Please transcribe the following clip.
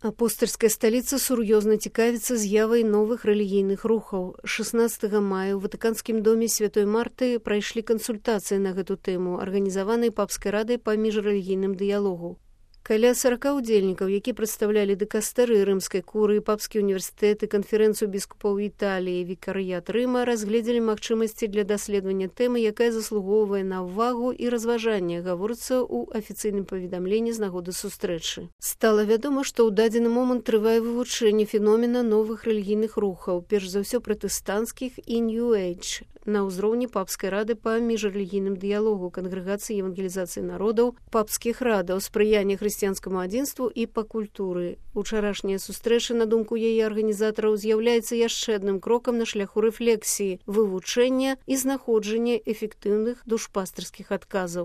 Апостольская сталіца сур'ёзна цікавіцца з'явай новых рэлігійных рухаў. 16 мая ў Ватыканскім доме Святой Марты прайшлі кансультацыі на гэту тэму, арганізаваныя папскай радай па міжрэлігійным дыялогу. Каля 40 удзельнікаў, які прадстаўлялі дыкастэры рымскай курыі, папскі універсітэт і канферэнцыю біскупаў Італіі, вікарыят Рыма разгледзелі магчымасці для даследавання тэмы, якая заслугоўвае на ўвагу і разважанне, гаворыцца ў афіцыйным паведамленні з нагоды сустрэчы. Стала вядома, што ў дадзены момант трывае вывучэнне феномена новых рэлігійных рухаў, перш за ўсё пратэстанцкіх і New Age, на ўзроўні папскай рады па міжрэлігійным дыялогу, кангрэгацыі евангелізацыі народаў, папскіх радаў, спрыяння хрысціянскаму адзінству і па культуры. Учарашняя сустрэча, на думку яе арганізатараў, з'яўляецца яшчэ адным крокам на шляху рэфлексіі, вывучэння і знаходжання эфектыўных душпастырскіх адказаў.